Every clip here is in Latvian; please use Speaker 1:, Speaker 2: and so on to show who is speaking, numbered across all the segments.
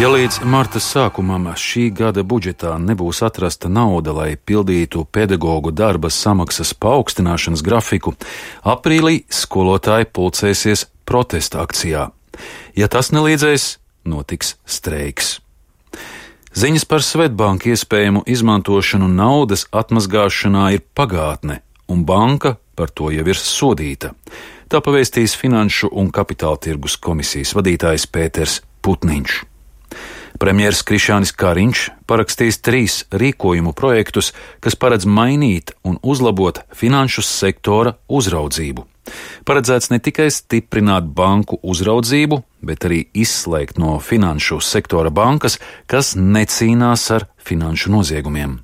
Speaker 1: Ja līdz marta sākumam šī gada budžetā nebūs atrasta nauda, lai pildītu pedagoģu darba samaksas paaugstināšanas grafiku, aprīlī skolotāji pulcēsies protesta akcijā. Ja tas nelīdzēs, notiks streiks. Ziņas par Svetbanka iespējamu izmantošanu naudas atmazgāšanā ir pagātne, un banka par to jau ir sodīta. Tā pavēstīs Finanšu un Kapitāla tirgus komisijas vadītājs Pēters Putniņš. Premjers Krišjānis Kariņš parakstīs 3 rīkojumu projektus, kas paredz mainīt un uzlabot finanšu sektora uzraudzību. Paredzēts ne tikai stiprināt banku uzraudzību, bet arī izslēgt no finanšu sektora bankas, kas necīnās ar finanšu noziegumiem.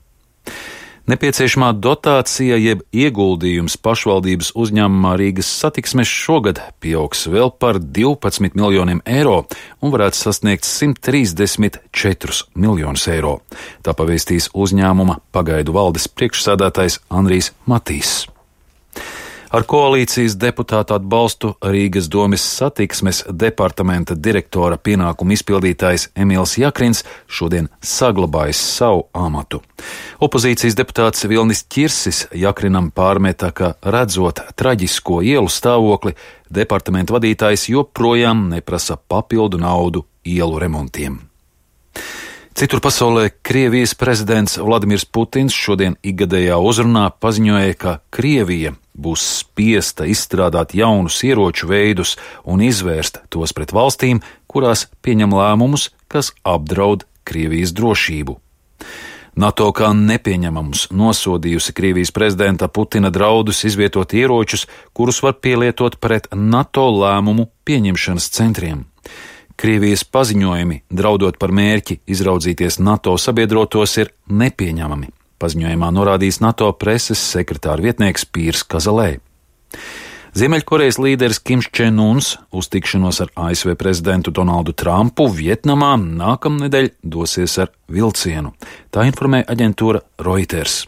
Speaker 1: Nepieciešamā dotācija jeb ieguldījums pašvaldības uzņēmumā Rīgas satiksmes šogad pieaugs vēl par 12 miljoniem eiro un varētu sasniegt 134 miljonus eiro. Tā pavēstīs uzņēmuma pagaidu valdes priekšsēdētājs Andrijs Matīs. Ar koalīcijas deputātu atbalstu Rīgas domes satiksmes departamenta direktora pienākumu izpildītājs Emīls Jakrins šodien saglabājis savu amatu. Opozīcijas deputāts Vilnis Ķirsis Jakrinam pārmeta, ka redzot traģisko ielu stāvokli, departamenta vadītājs joprojām neprasa papildu naudu ielu remontiem. Citur pasaulē Krievijas prezidents Vladimirs Putins šodien ikgadējā uzrunā paziņoja, ka Krievija būs spiesta izstrādāt jaunus ieroču veidus un izvērst tos pret valstīm, kurās pieņem lēmumus, kas apdraud Krievijas drošību. NATO kā nepieņemamus nosodījusi Krievijas prezidenta Putina draudus izvietot ieročus, kurus var pielietot pret NATO lēmumu pieņemšanas centriem. Krievijas paziņojumi, draudot par mērķi izraudzīties NATO sabiedrotos, ir nepieņemami. Paziņojumā norādījis NATO preses sekretāra vietnieks Pīrs Kazalē. Ziemeļkorejas līderis Kims Čen Uns uz tikšanos ar ASV prezidentu Donaldu Trumpu Vietnamā nākamnedēļ dosies ar vilcienu. Tā informē aģentūra Reuters.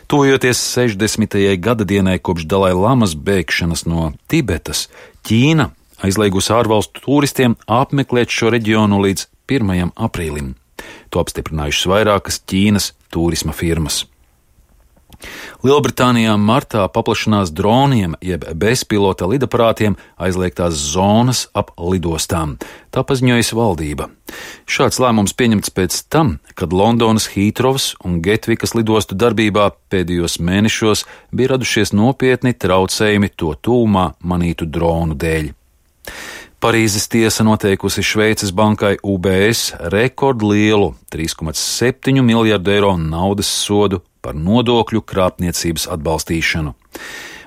Speaker 1: Tuvojoties 60. gadadienai kopš Dalai Lamas bēgšanas no Tibetas, Ķīna aizliegusi ārvalstu turistiem apmeklēt šo reģionu līdz 1. aprīlim. To apstiprinājušas vairākas Ķīnas turisma firmas. Lielbritānijā martā paplašinās droniem jeb bezpilota lidaparātiem aizliegtās zonas ap lidostām. Tā paziņojas valdība. Šāds lēmums pieņemts pēc tam, kad Londonas Hītrovas un Getvikas lidostu darbībā pēdējos mēnešos bija radušies nopietni traucējumi to tūmā manītu dronu dēļ. Parīzes tiesa noteikusi Šveices bankai UBS rekordlielu 3,7 miljardu eiro naudas sodu par nodokļu krāpniecības atbalstīšanu.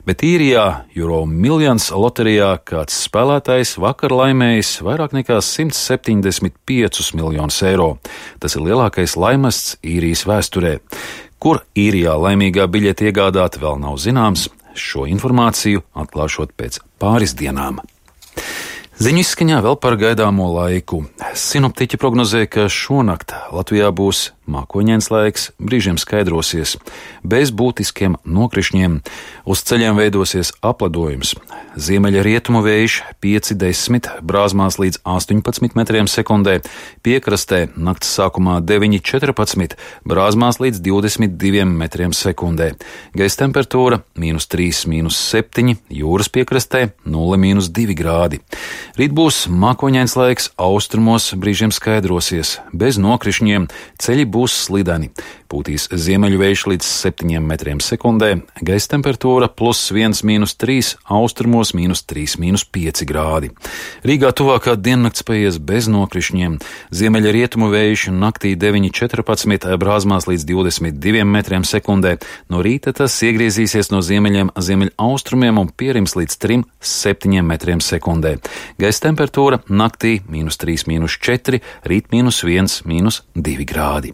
Speaker 1: Bet īrijā Euromillions loterijā kāds spēlētājs vakar laimējis vairāk nekā 175 miljonus eiro. Tas ir lielākais laimests īrijas vēsturē. Kur īrijā laimīgā biļete iegādāt vēl nav zināms, šo informāciju atklāšot pēc pāris dienām. Ziņu izskaņā vēl par gaidāmo laiku. Sinoptiķi prognozē, ka šonakt Latvijā būs mākoņains laiks, brīžiem skaidrosies, bez būtiskiem nokrišņiem. Uz ceļiem veidosies apledojums. Ziemeļa rietumu vējš 5–10, brāzmās līdz 18 metriem sekundē, piekrastē nakts sākumā 9–14, brāzmās līdz 22 metriem sekundē. Gaisa temperatūra -3–7, jūras piekrastē 0–2 grādi. Rīt būs mākoņains laiks, austrumos brīžiem skaidrosies, bez nokrišņiem, ceļi būs slideni. Pūtīs ziemeļu vējš līdz 7 metriem sekundē, gaisa temperatūra +1–3, austrumos -3–5 grādi. Rīgā tuvākā diennakts paies bez nokrišņiem, ziemeļa rietumu vējš naktī 9–14, brāzmās līdz 22 metriem sekundē, no rīta tas iegriezīsies no ziemeļiem ziemeļaustrumiem un pierims līdz 3–7 metriem sekundē. Gaisa temperatūra naktī -3–4, rīt -1–2 grādi.